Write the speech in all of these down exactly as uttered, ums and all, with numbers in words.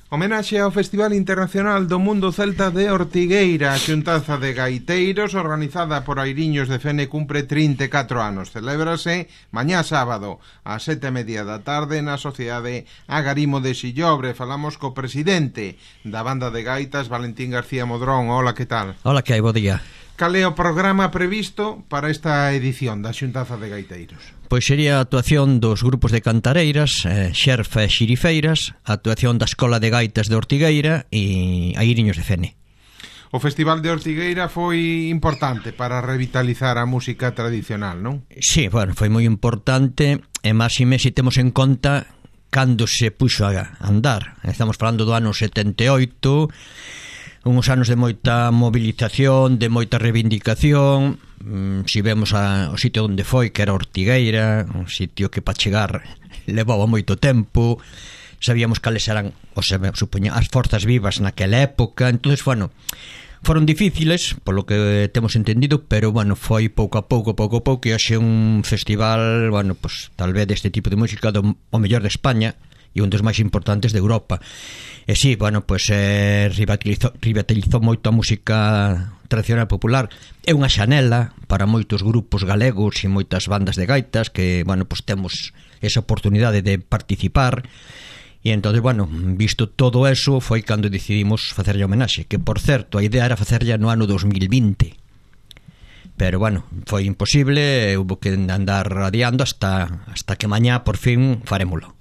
Homenaxe ao Festival Internacional do Mundo Celta de Ortigueira. A xuntanza de gaiteiros organizada por Airiños de Fene cumpre trinta e catro anos. Celébrase mañá sábado ás sete e media da tarde na Sociedade Agarimo de Sillobre. Falamos co presidente da banda de gaitas, Valentín García Modrón. Hola, que tal? Hola, que hai, bo día. Cal é o programa previsto para esta edición da xuntanza de gaiteiros? Pois sería a actuación dos grupos de cantareiras, eh, Xerfa e Xirifeiras, a actuación da Escola de Gaitas de Ortigueira e Airiños de Fene. O Festival de Ortigueira foi importante para revitalizar a música tradicional, non? Sí, bueno, foi moi importante, e máis e máis se temos en conta cando se puxo a andar. Estamos falando do ano setenta e oito, uns anos de moita movilización, de moita reivindicación. mm, Si vemos a, o sitio onde foi, que era Ortigueira, un sitio que para chegar levaba moito tempo, sabíamos cales eran, o sea, supoña, as forzas vivas naquela época. Entonces, bueno, foron difíciles, polo que temos entendido, pero, bueno, foi pouco a pouco, pouco a pouco, e hoxe un festival, bueno, pues tal vez deste tipo de música do, o mellor de España e un dos máis importantes de Europa. E sí, bueno, pois eh, revitalizou, revitalizou moito a música tradicional popular. É unha xanela para moitos grupos galegos e moitas bandas de gaitas que, bueno, pois temos esa oportunidade de participar. E entón, bueno, visto todo eso, foi cando decidimos facerlle homenaxe, que, por certo, a idea era facerlle no ano dos mil vinte. Pero, bueno, foi imposible, hubo que andar adiando hasta, hasta que mañá, por fin, farémolo.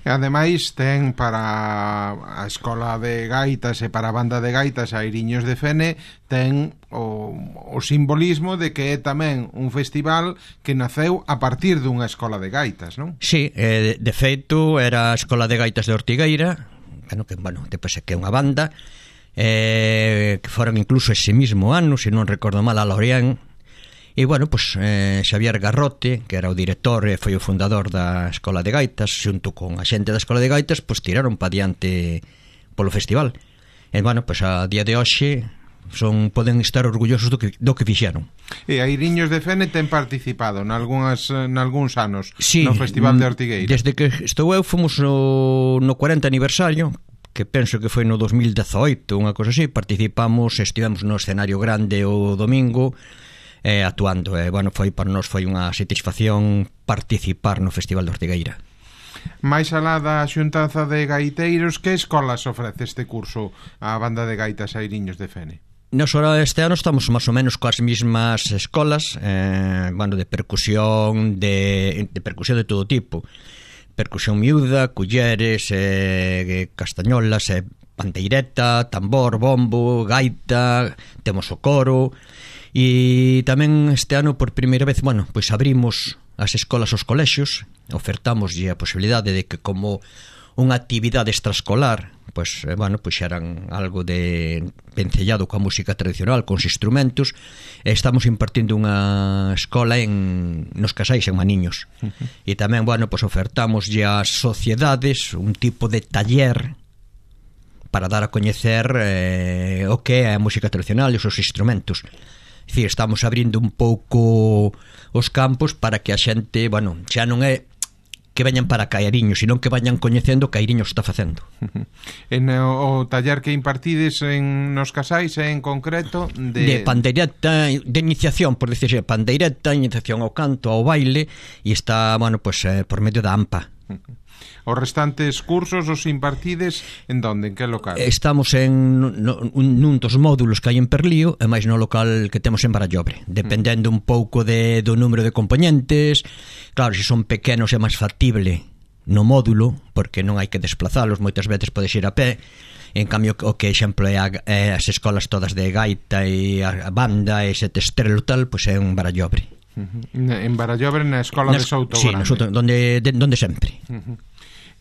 E ademais ten para a Escola de Gaitas e para a banda de gaitas Airiños de Fene, ten o, o simbolismo de que é tamén un festival que naceu a partir dunha escola de gaitas, non? Sí, eh, de feito era a Escola de Gaitas de Ortigueira, bueno, que, bueno, depois é que é unha banda, eh, que foron incluso ese mismo ano, se non recordo mal, a Lorient. E, bueno, pues, eh, Xavier Garrote, que era o director e foi o fundador da Escola de Gaitas, xunto con a xente da Escola de Gaitas, pues, tiraron pa diante polo festival. E, bueno, pues, a día de hoxe son, poden estar orgullosos do que, do que fixeron. E Airiños de Fene ten participado nalgúns, nalgúns anos, sí, no Festival de Ortigueira. Desde que estou eu fomos no, no cuarenta aniversario, que penso que foi no dos mil dezoito, unha cosa así. Participamos, estivemos no escenario grande o domingo, Eh, actuando, e, eh, bueno, foi para nós foi unha satisfacción participar no Festival de Ortigueira. Mais alá da xuntanza de gaiteiros, que escolas ofrece este curso a banda de gaitas Airiños de Fene? Nos hora este ano estamos máis ou menos coas mismas escolas, eh, bueno, de percusión, de, de percusión de todo tipo, percusión miúda, culleres, eh, castañolas, eh, pandeireta, tambor, bombo, gaita, temos o coro. E tamén este ano, por primeira vez, bueno, pois abrimos as escolas aos colexios, ofertamos a posibilidade de que, como unha actividade extraescolar, pois, bueno, pois eran algo de vencellado coa música tradicional, cos instrumentos, e estamos impartindo unha escola en nos Casais, en Maniños. Uh-huh. E tamén, bueno, pois ofertamos as sociedades un tipo de taller para dar a coñecer eh, o que é a música tradicional e os seus instrumentos. É dicir, estamos abrindo un pouco os campos para que a xente, bueno, xa non é que veñan para Cairiños, sino que vayan coñecendo o que Cairiños está facendo. En o, o taller que impartides en nos Casais é en concreto de... De pandeireta, de iniciación, por decirse, pandeireta, iniciación ao canto, ao baile, e está, bueno, pues eh, por medio da AMPA. Os restantes cursos os impartides en donde, en que local? Estamos en no, nun dos módulos que hai en Perlío e máis no local que temos en Barallobre, dependendo un pouco de, do número de componentes. Claro, se son pequenos é máis factible no módulo, porque non hai que desplazalos, moitas veces podes ir a pé. En cambio, o que, exemplo, é, a, é as escolas todas de gaita e a banda e sete estrelo tal, pois é un Barallobre. Uh-huh. En Barallobre, na escola Nas, de Souto sí, Grande. Sí, donde, de, donde sempre. Uh-huh.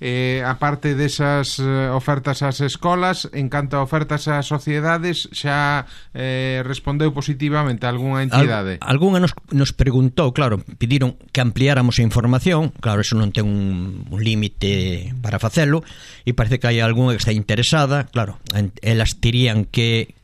Eh, a parte desas eh, ofertas ás escolas, en canto a ofertas ás sociedades, xa eh, respondeu positivamente a algunha entidade? Al, algunha nos, nos preguntou, claro, pediron que ampliáramos a información. Claro, eso non ten un, un límite para facelo, e parece que hai algunha que está interesada. Claro, elas terían que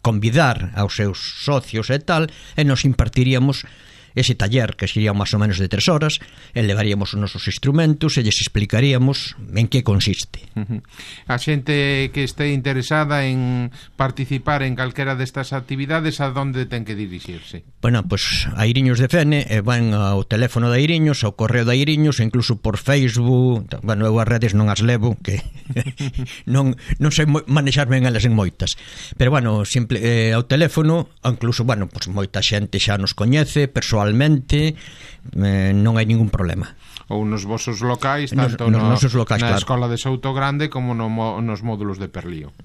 convidar aos seus socios e tal, e nos impartiríamos ese taller, que sería máis ou menos de tres horas, e levaríamos os nosos instrumentos e lles explicaríamos en que consiste. Uh-huh. A xente que este interesada en participar en calquera destas actividades, a donde ten que dirixirse? Bueno, pois pues, a Iriños de Fene, e van ao teléfono da Iriños, ao correo da Iriños, e incluso por Facebook. Bueno, eu as redes non as levo, que non, non sei manexarme en elas en moitas, pero bueno, simple, eh, ao teléfono, incluso, bueno, pues moita xente xa nos coñece persoalmente, eh, non hai ningún problema. Ou nos vosos locais, tanto nos, nos no, locais, na claro. Escola de Souto Grande como no, nos módulos de Perlío.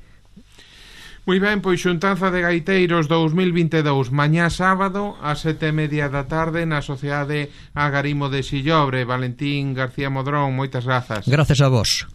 Moi ben, pois xuntanza de gaiteiros dous mil vinte e dous, mañá sábado ás sete e media da tarde na Sociedade Agarimo de Sillobre. Valentín García Modrón, moitas grazas. Grazas a vos.